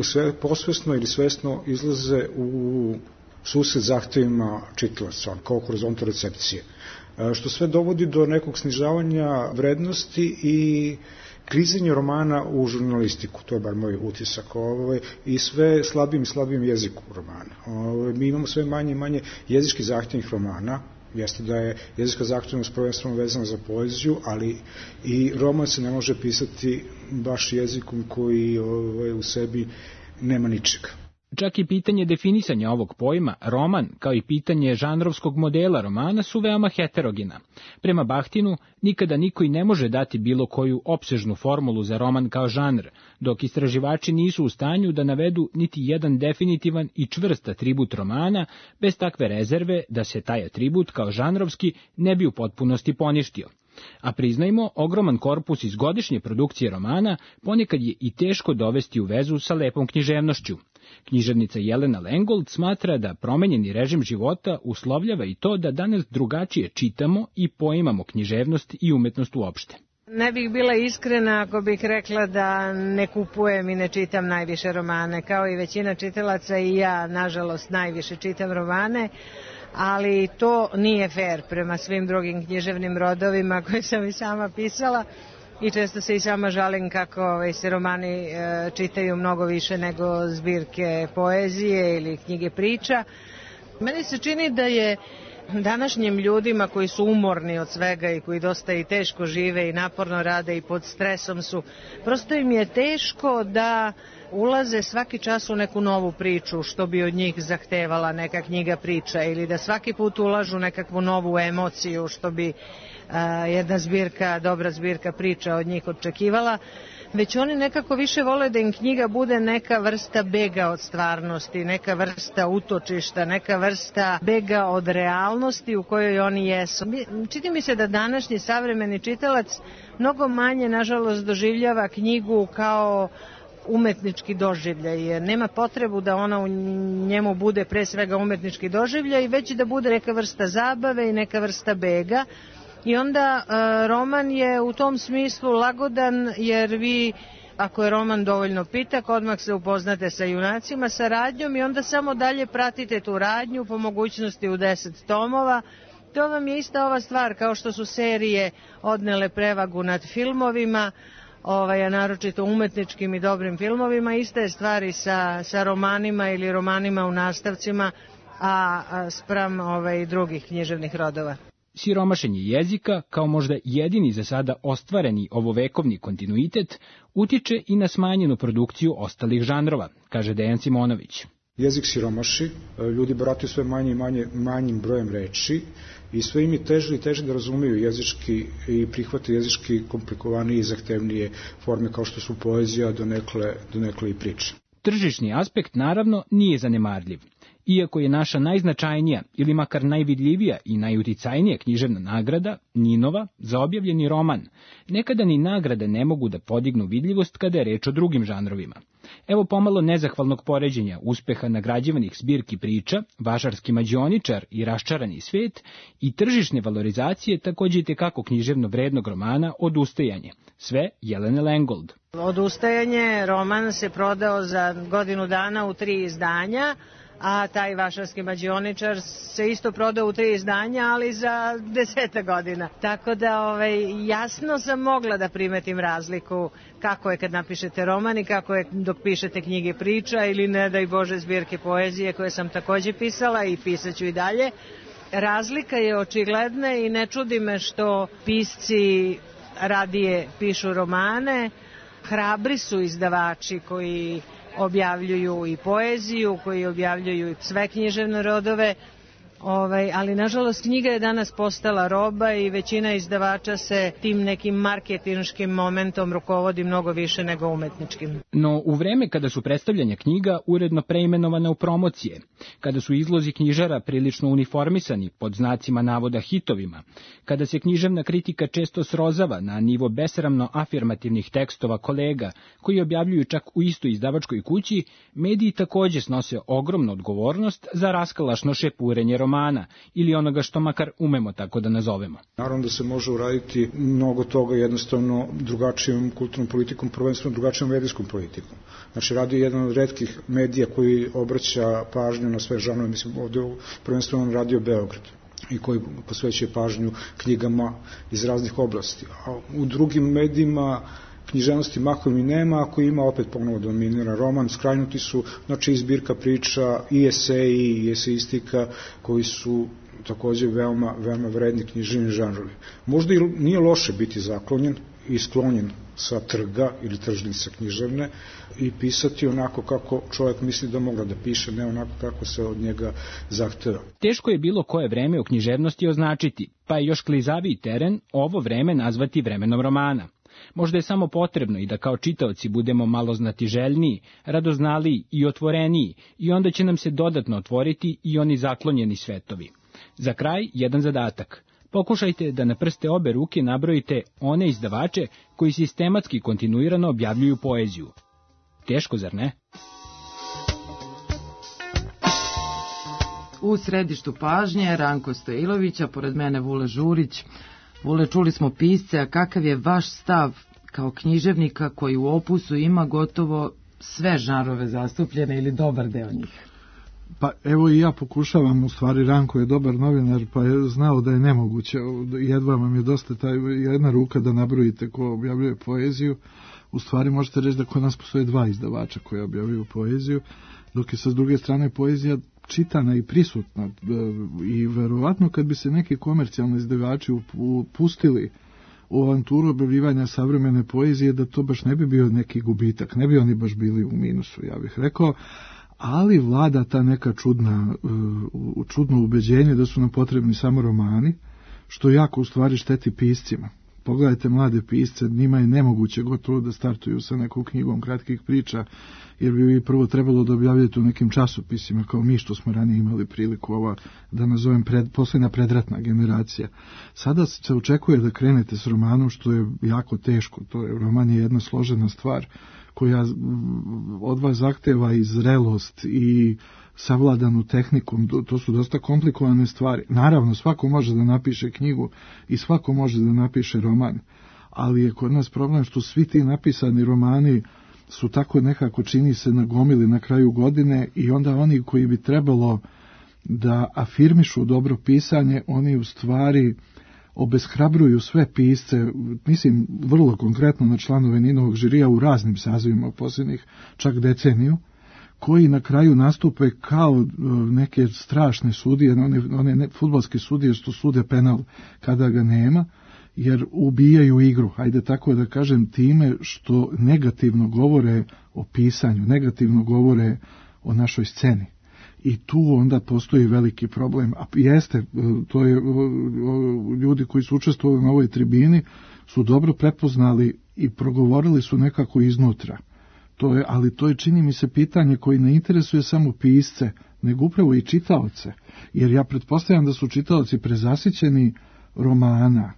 [SPEAKER 4] sve posvesno ili svesno izlaze u susret zahtevima čitalaca, kao horizontal recepcije, što sve dovodi do nekog snižavanja vrednosti i klizenje romana u žurnalistiku, to je bar moj utisak, i sve slabijim i slabijim jeziku romana. Mi imamo sve manje i manje jezički zahtevnih romana, jeste da je jezička zahtevnost prvenstveno vezana za poeziju, ali i roman se ne može pisati baš jezikom koji u sebi nema ničega.
[SPEAKER 3] Čak i pitanje definisanja ovog pojma, roman, kao i pitanje žanrovskog modela romana su veoma heterogena. Prema Bahtinu, nikada niko i ne može dati bilo koju opsežnu formulu za roman kao žanr, dok istraživači nisu u stanju da navedu niti jedan definitivan i čvrst atribut romana, bez takve rezerve da se taj atribut kao žanrovski ne bi u potpunosti poništio. A priznajmo, ogroman korpus iz godišnje produkcije romana ponekad je i teško dovesti u vezu sa lepom književnošću. Književnica Jelena Lengold smatra da promenjeni režim života uslovljava i to da danas drugačije čitamo i poimamo književnost i umetnost uopšte.
[SPEAKER 5] Ne bih bila iskrena ako bih rekla da ne kupujem i ne čitam najviše romane. Kao i većina čitalaca i ja, nažalost, najviše čitam romane, ali to nije fair prema svim drugim književnim rodovima koje sam i sama pisala. I često se i sama žalim kako se romani čitaju mnogo više nego zbirke poezije ili knjige priča. Meni se čini da je današnjim ljudima koji su umorni od svega i koji dosta i teško žive i naporno rade i pod stresom su, prosto im je teško da ulaze svaki čas u neku novu priču što bi od njih zahtevala neka knjiga priča ili da svaki put ulažu nekakvu novu emociju što bi jedna zbirka, dobra zbirka priča od njih očekivala, već oni nekako više vole da im knjiga bude neka vrsta bega od stvarnosti, neka vrsta utočišta, neka vrsta bega od realnosti u kojoj oni jesu. Čini mi se da današnji savremeni čitalac mnogo manje, nažalost, doživljava knjigu kao umetnički doživljaj, jer nema potrebu da ona u njemu bude pre svega umetnički doživljaj, već da bude neka vrsta zabave i neka vrsta bega. I onda roman je u tom smislu lagodan, jer vi, ako je roman dovoljno pitak, odmah se upoznate sa junacima, sa radnjom i onda samo dalje pratite tu radnju, po mogućnosti u 10 tomova. To vam je ista ova stvar, kao što su serije odnele prevagu nad filmovima, a naročito umetničkim i dobrim filmovima, ista je stvar i sa romanima ili romanima u nastavcima, a spram drugih književnih rodova.
[SPEAKER 3] Siromašenje jezika, kao možda jedini za sada ostvareni ovovekovni kontinuitet, utiče i na smanjenu produkciju ostalih žanrova, kaže Dejan Simonović.
[SPEAKER 4] Jezik siromaši, ljudi barataju sve manje i manjim brojem reči i sve im je teže i teže da razumeju jezički i prihvate jezički komplikovanije i zahtevnije forme kao što su poezija, donekle i priče.
[SPEAKER 3] Tržišni aspekt naravno nije zanemarljiv. Iako je naša najznačajnija ili makar najvidljivija i najuticajnija književna nagrada, Ninova, za objavljeni roman, nekada ni nagrade ne mogu da podignu vidljivost kada je reč o drugim žanrovima. Evo pomalo nezahvalnog poređenja uspeha nagrađivanih zbirki priča, Vašarski mađioničar i Raščarani svet i tržišne valorizacije takođe i tekako književno vrednog romana Odustajanje, sve Jelene Lengold.
[SPEAKER 5] Odustajanje, roman se prodao za godinu dana u 3 izdanja, a taj Vašarski mađioničar se isto prodao u 3 izdanja, ali za 10 godina. Tako da jasno sam mogla da primetim razliku kako je kad napišete roman i kako je dok pišete knjige priča ili ne daj Bože zbirke poezije koje sam takođe pisala i pisaću i dalje. razlika je očigledna i ne čudi me što pisci radije pišu romane. Hrabri su izdavači koji objavljuju i poeziju, koji objavljuju i sve književne rodove, ali nažalost knjiga je danas postala roba i većina izdavača se tim nekim marketinškim momentom rukovodi mnogo više nego umetničkim.
[SPEAKER 3] No u vreme kada su predstavljanja knjiga uredno preimenovane u promocije, kada su izlozi knjižara prilično uniformisani pod znacima navoda hitovima, kada se književna kritika često srozava na nivo besramno afirmativnih tekstova kolega koji objavljuju čak u istoj izdavačkoj kući, mediji takođe snose ogromnu odgovornost za raskalašno šepurenje romana ili onoga što makar umemo tako da nazovemo.
[SPEAKER 4] Naravno da se može uraditi mnogo toga jednostavno drugačijom kulturnom politikom, prvenstveno drugačijom medijskom politikom. Znači, radio je jedan od retkih medija koji obraća pažnju na sve žanove, mislim ovdje prvenstveno Radio Beograd i koji posvećuje pažnju knjigama iz raznih oblasti. A u drugim medijima književnosti mahom i nema, ako ima opet ponovo dominira roman, skrajnuti su, znači i zbirka priča, i eseji, i eseistika, koji su takođe veoma vredni književni žanrovi. Možda i nije loše biti zaklonjen i sklonjen sa trga ili tržnice književne i pisati onako kako čovjek misli da mogla da piše, ne onako kako se od njega zahteva.
[SPEAKER 3] Teško je bilo koje vreme u književnosti označiti, pa je još klizaviji teren ovo vreme nazvati vremenom romana. Možda je samo potrebno i da kao čitaoci budemo malo znatiželjniji, radoznaliji i otvoreniji, i onda će nam se dodatno otvoriti i oni zaklonjeni svetovi. Za kraj, jedan zadatak. Pokušajte da na prste obe ruke nabrojite one izdavače koji sistematski kontinuirano objavljuju poeziju. Teško, zar ne?
[SPEAKER 6] U središtu pažnje Ranko Stojilović, a pored mene Vule Žurić. Vule, čuli smo pisce, a kakav je vaš stav kao književnika koji u opusu ima gotovo sve žanrove zastupljene ili dobar deo njih?
[SPEAKER 1] Pa evo i ja pokušavam, u stvari Ranko je dobar novinar, pa je znao da je nemoguće, jedva vam je dosta jedna ruka da nabrojite ko objavljuje poeziju. U stvari možete reći da kod nas postoje dva izdavača koji objavljuju poeziju, dok je sa druge strane poezija čitana i prisutna i verovatno kad bi se neki komercijalni izdavači upustili u avanturu objavljivanja savremene poezije, da to baš ne bi bio neki gubitak, ne bi oni baš bili u minusu, ja bih rekao, ali vlada ta neka čudno ubeđenje da su nam potrebni samo romani, što jako u stvari šteti piscima. Pogledajte mlade pisce, njima je nemoguće gotovo da startuju sa nekom knjigom kratkih priča, jer bi prvo trebalo da objavljate u nekim časopisima, kao mi što smo ranije imali priliku, da nazovem posljedna predratna generacija. Sada se očekuje da krenete s romanom, što je jako teško. Roman je jedna složena stvar koja od vas zahteva i zrelost i savladanu tehnikom, to su dosta komplikovane stvari. Naravno, svako može da napiše knjigu i svako može da napiše roman, ali je kod nas problem što svi ti napisani romani su tako nekako, čini se, nagomili na kraju godine i onda oni koji bi trebalo da afirmišu dobro pisanje, oni u stvari obeshrabruju sve pisce, mislim vrlo konkretno na članove Ninovog žirija u raznim sazivima posljednjih čak deceniju, koji na kraju nastupe kao neke strašne sudije, one fudbalske sudije što sude penal kada ga nema, jer ubijaju igru, ajde tako da kažem, time što negativno govore o pisanju, negativno govore o našoj sceni. I tu onda postoji veliki problem. A jeste, to je, ljudi koji su učestvovali na ovoj tribini su dobro prepoznali i progovorili su nekako iznutra. Ali to je, čini mi se, pitanje koji ne interesuje samo pisce, nego upravo i čitaoce. Jer ja pretpostavljam da su čitaoci prezasićeni romana.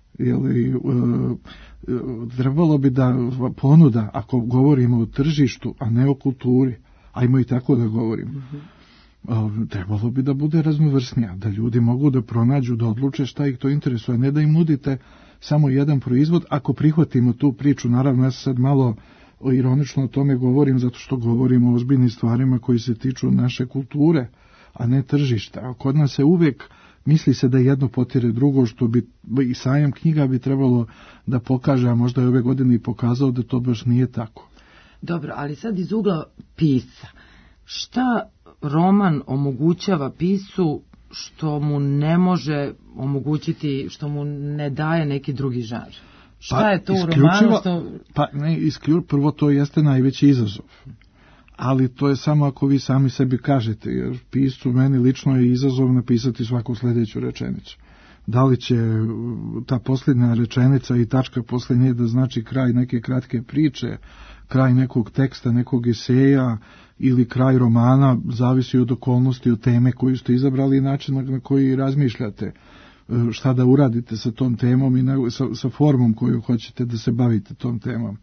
[SPEAKER 1] Trebalo bi da ponuda, ako govorimo o tržištu, a ne o kulturi, ajmo i tako da govorimo, trebalo bi da bude raznovrsnija, da ljudi mogu da pronađu, da odluče šta ih to interesuje, ne da im nudite samo jedan proizvod. Ako prihvatimo tu priču, naravno ja sad malo ironično o tome govorim, zato što govorimo o ozbiljnim stvarima koji se tiču naše kulture, a ne tržišta. A kod nas se uvijek misli se da jedno potire drugo, što bi i sajam knjiga bi trebalo da pokaže, a možda je ove godine i pokazao da to baš nije tako.
[SPEAKER 6] Dobro, ali sad iz ugla pisca, šta roman omogućava piscu što mu ne može omogućiti, što mu ne daje neki drugi žanr? Šta je to u romanu što...
[SPEAKER 1] Prvo to jeste najveći izazov. Ali to je samo ako vi sami sebi kažete, jer piscu meni lično je izazov napisati svaku sljedeću rečenicu. Da li će ta posljednja rečenica i tačka poslije nje da znači kraj neke kratke priče, kraj nekog teksta, nekog eseja ili kraj romana, zavisi od okolnosti, od teme koju ste izabrali i način na koji razmišljate, šta da uradite sa tom temom i sa formom koju hoćete da se bavite tom temom.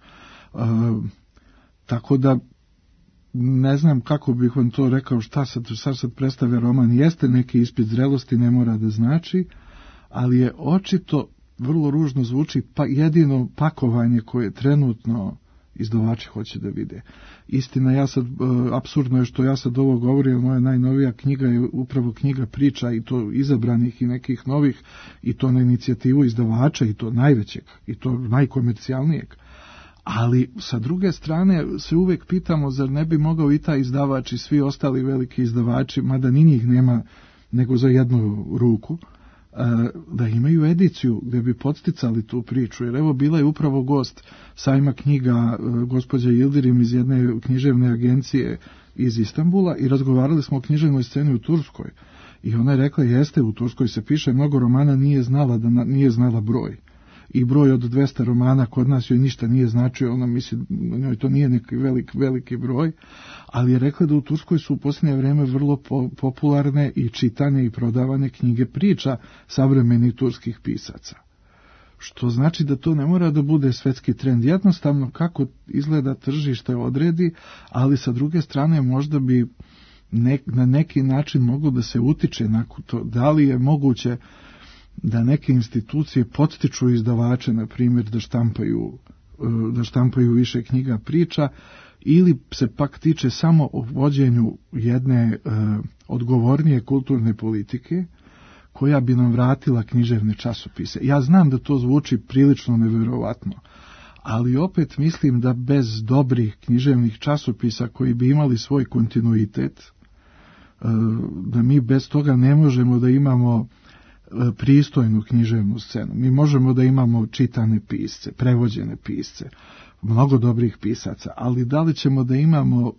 [SPEAKER 1] Tako da ne znam kako bih vam to rekao, šta sad predstavlja roman. Jeste neki ispit zrelosti, ne mora da znači, ali je očito, vrlo ružno zvuči, pa jedino pakovanje koje trenutno izdavači hoće da vide. Istina, apsurdno je što ja sad ovo govorim, moja najnovija knjiga je upravo knjiga priča, i to izabranih i nekih novih, i to na inicijativu izdavača, i to najvećeg, i to najkomercijalnijeg. Ali sa druge strane se uvijek pitamo, zar ne bi mogao i taj izdavač i svi ostali veliki izdavači, mada ni njih nema nego za jednu ruku, da imaju ediciju gdje bi podsticali tu priču. Jer evo, bila je upravo gost sajma knjiga gospođa Yildirim iz jedne književne agencije iz Istanbula i razgovarali smo o književnoj sceni u Turskoj. I ona je rekla, jeste, u Turskoj se piše mnogo romana, nije znala broj. I broj od 200 romana kod nas joj ništa nije značio, ona misli, njoj to nije neki veliki broj, ali je rekla da u Turskoj su u posljednje vrijeme vrlo popularne i čitane i prodavane knjige priča savremenih turskih pisaca. Što znači da to ne mora da bude svetski trend. Jednostavno kako izgleda tržište odredi, ali sa druge strane možda bi na neki način moglo da se utiče na to. Da li je moguće da neke institucije podstiču izdavače, na primjer, da štampaju više knjiga priča, ili se pak tiče samo o vođenju jedne odgovornije kulturne politike koja bi nam vratila književne časopise. Ja znam da to zvuči prilično nevjerovatno, ali opet mislim da bez dobrih književnih časopisa koji bi imali svoj kontinuitet, da mi bez toga ne možemo da imamo pristojnu književnu scenu. Mi možemo da imamo čitane pisce, prevođene pisce, mnogo dobrih pisaca, ali da li ćemo da imamo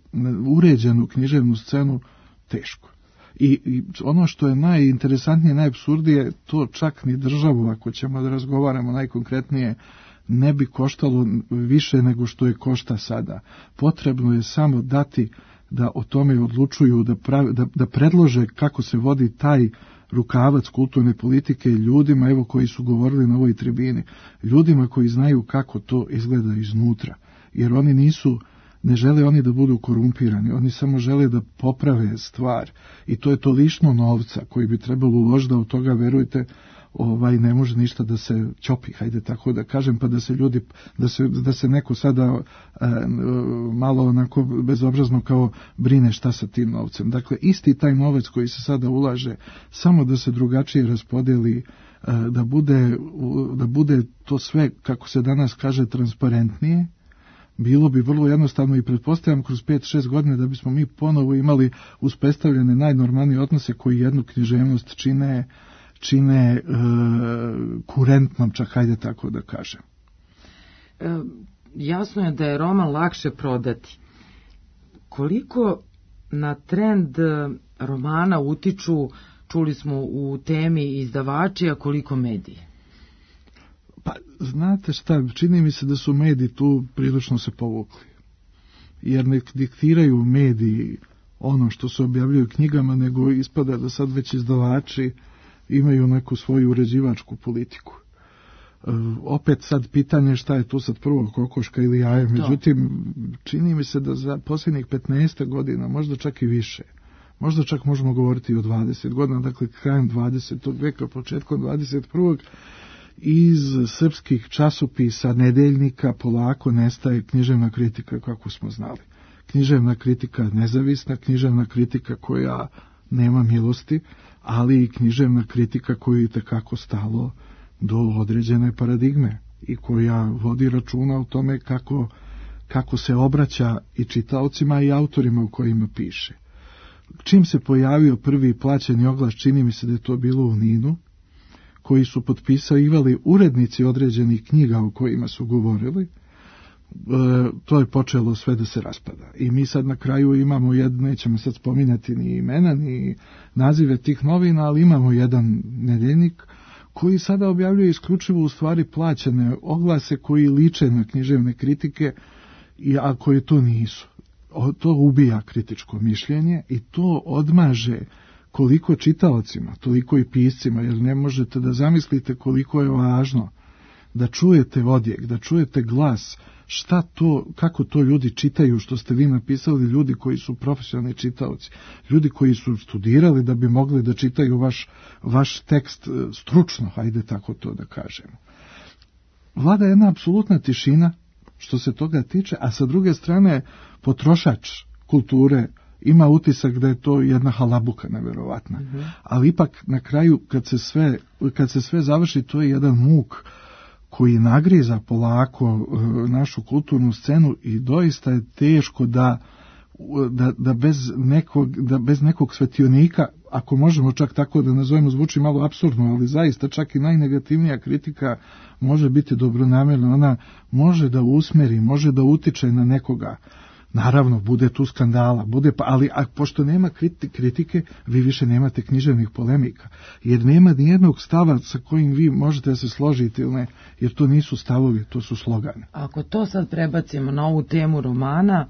[SPEAKER 1] uređenu književnu scenu, teško. I ono što je najinteresantnije, najapsurdije, to čak ni državu, ako ćemo da razgovaramo najkonkretnije, ne bi koštalo više nego što je košta sada. Potrebno je samo dati da o tome odlučuju, da predlože kako se vodi taj rukavac kulturne politike ljudima, evo, koji su govorili na ovoj tribini, ljudima koji znaju kako to izgleda iznutra, jer oni ne žele oni da budu korumpirani, oni samo žele da poprave stvar, i to je to lišno novca koji bi trebalo uložiti, da od toga, verujte, ne može ništa da se ćopi, hajde tako da kažem, pa da se ljudi, da se neko sada malo onako bezobrazno kao brine šta sa tim novcem. Dakle, isti taj novac koji se sada ulaže, samo da se drugačije raspodeli, da bude to sve, kako se danas kaže, transparentnije, bilo bi vrlo jednostavno, i pretpostavljam kroz 5-6 godina da bismo mi ponovo imali uspostavljene najnormalnije odnose koji jednu književnost čine kurentnom, čak hajde tako da kažem.
[SPEAKER 6] Jasno je da je roman lakše prodati. Koliko na trend romana utiču, čuli smo u temi, izdavači, a koliko mediji?
[SPEAKER 1] Pa, znate šta, čini mi se da su mediji tu prilično se povukli. Jer ne diktiraju mediji ono što se objavljuju knjigama, nego ispada da sad već izdavači imaju neku svoju uređivačku politiku. Opet sad pitanje šta je tu sad prvo, kokoška ili jaje, međutim čini mi se da za posljednjih 15 godina, možda čak i više, možda čak možemo govoriti o 20 godina, dakle krajem 20. veka, početkom 21. iz srpskih časopisa, nedeljnika polako nestaje književna kritika kako smo znali. Književna kritika nezavisna, književna kritika koja nema milosti, ali i književna kritika koju je itekako stalo do određene paradigme i koja vodi računa o tome kako se obraća i čitaocima i autorima u kojima piše. čim se pojavio prvi plaćeni oglas, čini mi se da je to bilo u Ninu, koji su potpisivali urednici određenih knjiga o kojima su govorili, to je počelo sve da se raspada. I mi sad na kraju imamo nećemo sad spominjati ni imena, ni nazive tih novina, ali imamo jedan nedeljnik koji sada objavljuje isključivo u stvari plaćene oglase koji liče na književne kritike, a koje to nisu. To ubija kritičko mišljenje i to odmaže koliko čitaocima, toliko i piscima, jer ne možete da zamislite koliko je važno da čujete odjek, da čujete glas, šta to, kako to ljudi čitaju što ste vi napisali, ljudi koji su profesionalni čitaoci, ljudi koji su studirali da bi mogli da čitaju vaš tekst stručno, hajde tako to da kažemo. Vlada jedna apsolutna tišina što se toga tiče, a sa druge strane potrošač kulture ima utisak da je to jedna halabuka neverovatna. Ali ipak na kraju kad se sve završi, to je jedan muk koji nagriza polako našu kulturnu scenu i doista je teško da bez nekog svetionika, ako možemo čak tako da nazovemo, zvuči malo apsurdno, ali zaista čak i najnegativnija kritika može biti dobronamjerna, ona može da usmeri, može da utiče na nekoga. Naravno, bude tu skandala, ali pošto nema kritike, vi više nemate književnih polemika, jer nema nijednog stava sa kojim vi možete da se složite ili ne, jer to nisu stavovi, to su slogani.
[SPEAKER 6] Ako to sad prebacimo na ovu temu romana,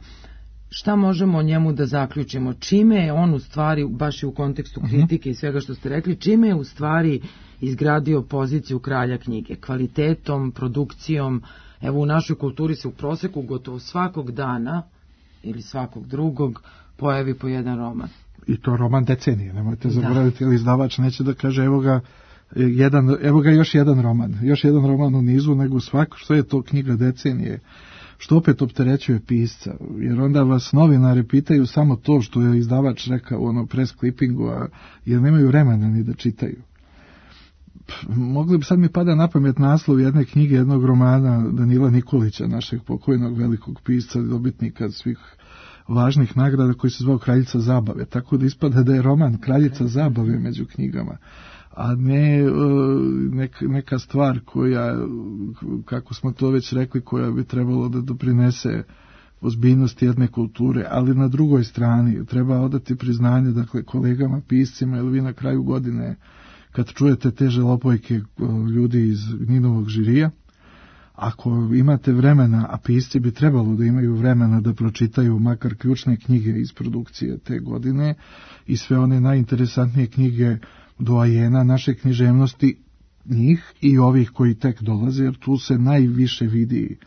[SPEAKER 6] šta možemo o njemu da zaključimo? Čime je on u stvari, baš i u kontekstu kritike i svega što ste rekli, čime je u stvari izgradio poziciju kralja knjige? Kvalitetom, produkcijom? Evo, u našoj kulturi se u proseku gotovo svakog dana ili svakog drugog pojavi po jedan roman.
[SPEAKER 1] I to roman decenije, nemojte zaboraviti, ili izdavač neće da kaže evo ga još jedan roman u nizu, nego svako što je to knjiga decenije, što opet opterećuje pisca, jer onda vas novinari pitaju samo to što je izdavač rekao u press clippingu, jer nemaju vremena ni da čitaju. Mogli bi, sad mi pada na pamet naslov jedne knjige, jednog romana Danila Nikolića, našeg pokojnog velikog pisca, dobitnika svih važnih nagrada, koji se zvao Kraljica zabave, tako da ispada da je roman Kraljica zabave među knjigama, a ne neka stvar koja, kako smo to već rekli, koja bi trebalo da doprinese ozbiljnosti jedne kulture, ali na drugoj strani treba odati priznanje, dakle, kolegama piscima, ili vi na kraju godine kad čujete te žalopojke ljudi iz Ninovog žirija, ako imate vremena, a pisci bi trebalo da imaju vremena da pročitaju makar ključne knjige iz produkcije te godine i sve one najinteresantnije knjige doajena naše književnosti, njih i ovih koji tek dolaze, jer tu se najviše vidi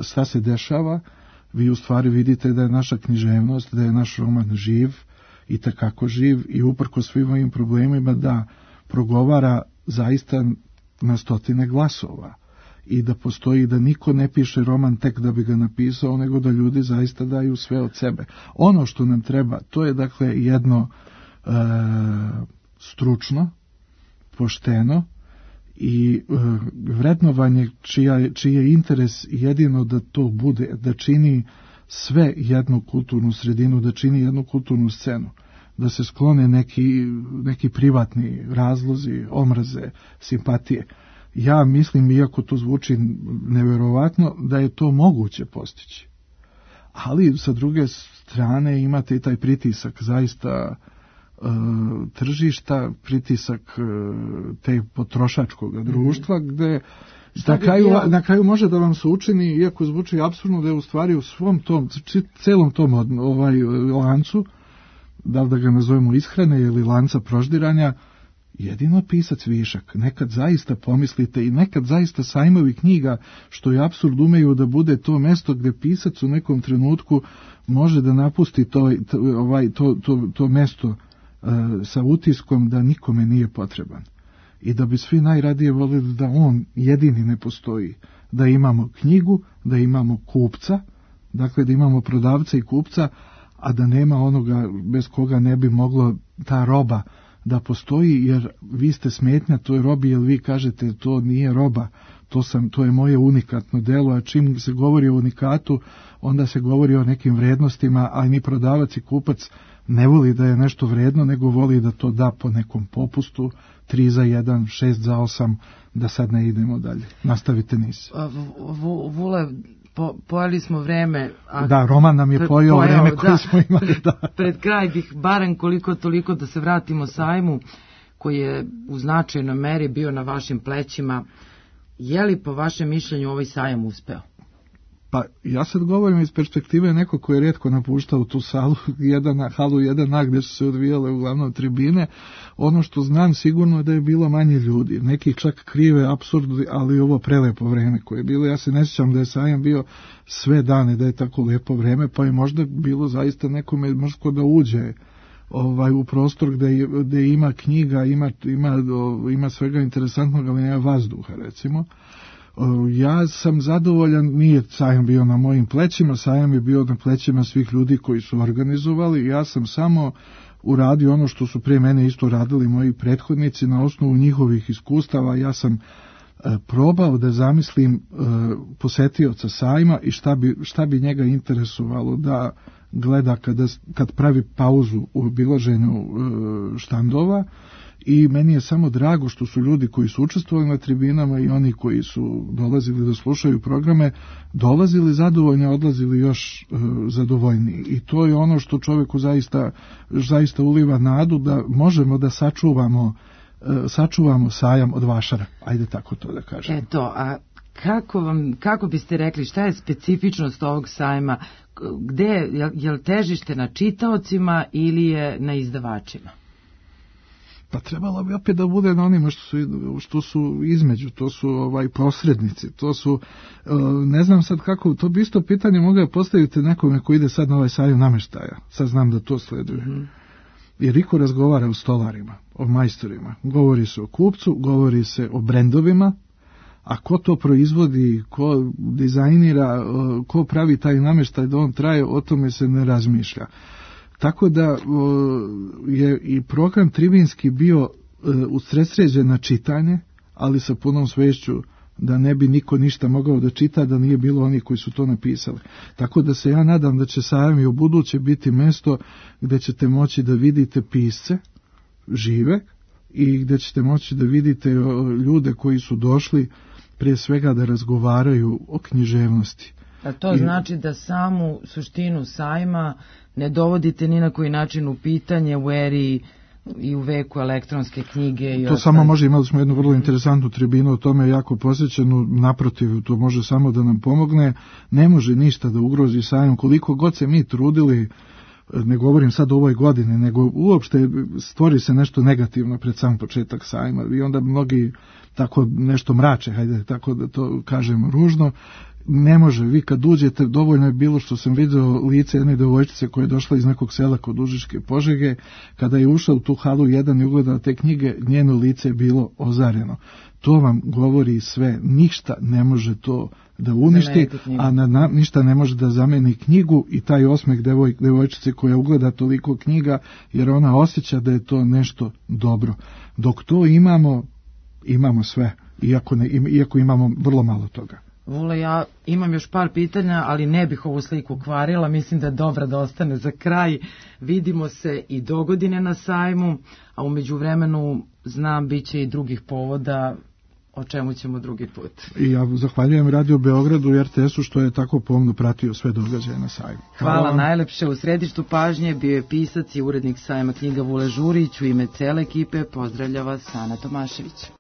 [SPEAKER 1] šta se dešava. Vi u stvari vidite da je naša književnost, da je naš roman živ i takako živ i uprko svim ovim problemima da progovara zaista na stotine glasova i da postoji, da niko ne piše roman tek da bi ga napisao, nego da ljudi zaista daju sve od sebe. Ono što nam treba, to je dakle jedno stručno, pošteno i vrednovanje čiji je interes jedino da to bude, da čini sve jednu kulturnu sredinu, da čini jednu kulturnu scenu, da se sklone neki privatni razlozi, omraze, simpatije. Ja mislim, iako to zvuči neverovatno, da je to moguće postići. Ali sa druge strane imate i taj pritisak zaista tržišta, pritisak te potrošačkog društva, gde na kraju može da vam se učini, iako zvuči apsurdno, da je u stvari u svom tom, celom tom lancu, da li da ga nazovemo ishrane ili lanca proždiranja, jedino pisac višak. Nekad zaista pomislite i nekad zaista sajmovi knjiga, što je apsurd, umeju da bude to mesto gde pisac u nekom trenutku može da napusti to mesto sa utiskom da nikome nije potreban. I da bi svi najradije volili da on jedini ne postoji. Da imamo knjigu, da imamo kupca, dakle da imamo prodavca i kupca, a da nema onoga bez koga ne bi moglo ta roba da postoji, jer vi ste smetnja toj robi, jer vi kažete to nije roba, to je moje unikatno delo, a čim se govori o unikatu, onda se govori o nekim vrednostima, a ni prodavac i kupac ne voli da je nešto vredno, nego voli da to da po nekom popustu, 3 za 1, 6 za 8, da sad ne idemo dalje. Nastavite niz.
[SPEAKER 6] Vule, pojeli smo vreme.
[SPEAKER 1] Da, roman nam je pojeo vreme koje smo imali. Da.
[SPEAKER 6] Pred kraj bih barem koliko toliko da se vratimo sajmu, koji je u značajnoj meri bio na vašim plećima. Je li po vašem mišljenju ovaj sajam uspeo?
[SPEAKER 1] Pa ja sad govorim iz perspektive neko koji je rijetko napuštao tu halu 1A gdje su se odvijale uglavnom tribine. Ono što znam sigurno je da je bilo manje ljudi. Neki čak krive, apsurdi, ali ovo prelepo vreme koje je bilo. Ja se ne sjećam da je sajam bio sve dane, da je tako lepo vreme, pa je možda bilo zaista nekome možda da uđe u prostor gdje ima knjiga, ima svega interesantnog, ali nema vazduha, recimo. Ja sam zadovoljan, nije sajam bio na mojim plećima, sajam je bio na plećima svih ljudi koji su organizovali, ja sam samo uradio ono što su prije mene isto radili moji prethodnici na osnovu njihovih iskustava. Ja sam probao da zamislim posetioca sajma i šta bi njega interesovalo da gleda kad pravi pauzu u obilaženju štandova. I meni je samo drago što su ljudi koji su učestvovali na tribinama i oni koji su dolazili da slušaju programe, dolazili zadovoljni, odlazili još zadovoljniji. I to je ono što čovjeku zaista uliva nadu da možemo da sačuvamo sajam od vašara. Ajde tako to da kažem.
[SPEAKER 6] Eto, a kako biste rekli, šta je specifičnost ovog sajma? Je li težište na čitaocima ili je na izdavačima?
[SPEAKER 1] Pa trebalo bi opet da bude na onima što su između, to su posrednici, to su, ne znam sad kako, to bi isto pitanje mogao postaviti nekome ko ide sad na ovaj sajam namještaja, sad znam da to sleduje. Jer Riko razgovara o stolarima, o majstorima, govori se o kupcu, govori se o brendovima, a ko to proizvodi, ko dizajnira, ko pravi taj namještaj da on traje, o tome se ne razmišlja. Tako da je i program tribinski bio usredsređen na čitanje, ali sa punom svešću da ne bi niko ništa mogao da čita da nije bilo oni koji su to napisali. Tako da se ja nadam da će sajam i u buduće biti mesto gdje ćete moći da vidite pisce žive i gdje ćete moći da vidite ljude koji su došli prije svega da razgovaraju o književnosti.
[SPEAKER 6] A to znači da samu suštinu sajma ne dovodite ni na koji način u pitanje u eri i u veku elektronske knjige. I
[SPEAKER 1] to samo može, imali smo jednu vrlo interesantnu tribinu, o tome je jako posjećenu, naprotiv, to može samo da nam pomogne, ne može ništa da ugrozi sajam, koliko god se mi trudili, ne govorim sad o ovoj godini, nego uopšte stvori se nešto negativno pred sam početak sajma i onda mnogi tako nešto mrače, hajde tako da to kažem ružno. Ne može, vi kad uđete, dovoljno je bilo što sam vidio lice jedne devojčice koja je došla iz nekog sela kod Užičke Požege, kada je ušla u tu halu 1 i ugledala te knjige, njeno lice je bilo ozareno. To vam govori sve, ništa ne može to da uništi, a ništa ne može da zameni knjigu i taj osmeh devojčice koja ugleda toliko knjiga, jer ona osjeća da je to nešto dobro. Dok to imamo sve, iako imamo vrlo malo toga.
[SPEAKER 6] Vule, ja imam još par pitanja, ali ne bih ovu sliku kvarila, mislim da je dobra da ostane za kraj. Vidimo se i dogodine na sajmu, a u međuvremenu znam bit će i drugih povoda, o čemu ćemo drugi put. I ja
[SPEAKER 1] zahvaljujem Radio Beogradu i RTS-u što je tako pomno pratio sve događaje na sajmu.
[SPEAKER 6] Hvala najlepše. U središtu pažnje bio je pisac i urednik sajma knjiga Vule Žurić. U ime cele ekipe pozdravlja vas Ana Tomašević.